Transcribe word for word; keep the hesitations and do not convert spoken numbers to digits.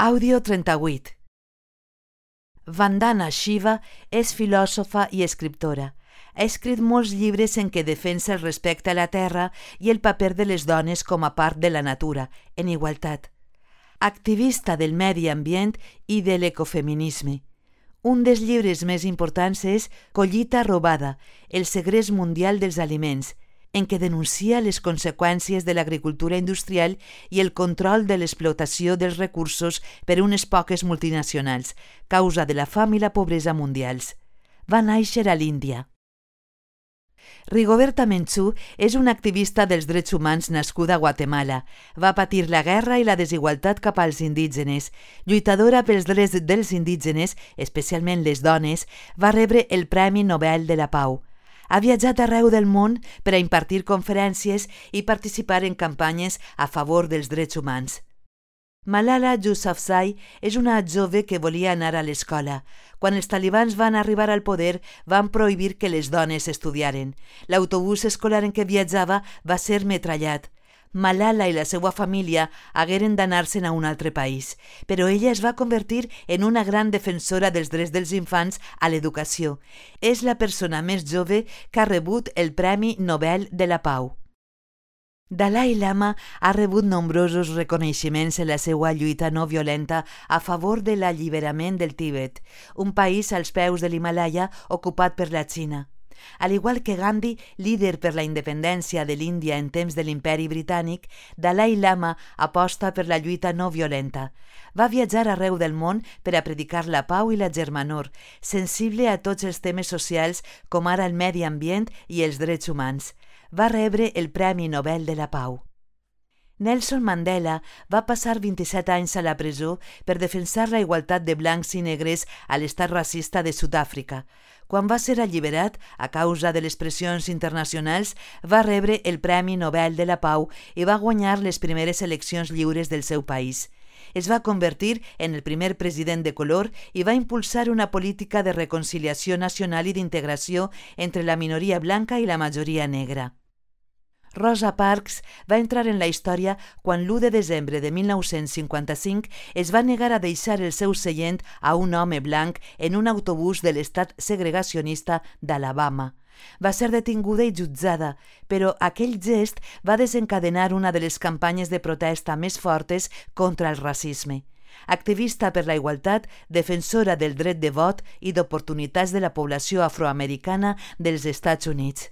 Àudio trenta-vuit. Vandana Shiva és filòsofa i escriptora. Ha escrit molts llibres en què defensa el respecte a la terra i el paper de les dones com a part de la natura, en igualtat. Activista del medi ambient i de l'ecofeminisme. Un dels llibres més importants és Collita robada, el segrest mundial dels aliments, en què denuncia les conseqüències de l'agricultura industrial i el control de l'explotació dels recursos per unes poques multinacionals, causa de la fam i la pobresa mundials. Va néixer a l'Índia. Rigoberta Menchú és una activista dels drets humans nascuda a Guatemala. Va patir la guerra i la desigualtat cap als indígenes. Lluitadora pels drets dels indígenes, especialment les dones, va rebre el Premi Nobel de la Pau. Ha viatjat arreu del món per a impartir conferències i participar en campanyes a favor dels drets humans. Malala Yousafzai és una jove que volia anar a l'escola. Quan els talibans van arribar al poder, van prohibir que les dones estudiaren. L'autobús escolar en què viatjava va ser metrallat. Malala i la seva família hagueren d'anar-se'n a un altre país, però ella es va convertir en una gran defensora dels drets dels infants a l'educació. És la persona més jove que ha rebut el Premi Nobel de la Pau. Dalai Lama ha rebut nombrosos reconeixements en la seva lluita no violenta a favor de l'alliberament del Tibet, un país als peus de l'Himàlaia ocupat per la Xina. Al igual que Gandhi, líder per la independència de l'Índia en temps de l'imperi britànic, Dalai Lama aposta per la lluita no violenta. Va viatjar arreu del món per a predicar la pau i la germanor, sensible a tots els temes socials com ara el medi ambient i els drets humans. Va rebre el Premi Nobel de la Pau. Nelson Mandela va passar vint-i-set anys a la presó per defensar la igualtat de blancs i negres a l'estat racista de Sud-àfrica. Quan va ser alliberat, a causa de les pressions internacionals, va rebre el Premi Nobel de la Pau i va guanyar les primeres eleccions lliures del seu país. Es va convertir en el primer president de color i va impulsar una política de reconciliació nacional i d'integració entre la minoria blanca i la majoria negra. Rosa Parks va entrar en la història quan l'u de desembre de mil nou-cents cinquanta-cinc es va negar a deixar el seu seient a un home blanc en un autobús de l'estat segregacionista d'Alabama. Va ser detinguda i jutjada, però aquell gest va desencadenar una de les campanyes de protesta més fortes contra el racisme. Activista per la igualtat, defensora del dret de vot i d'oportunitats de la població afroamericana dels Estats Units.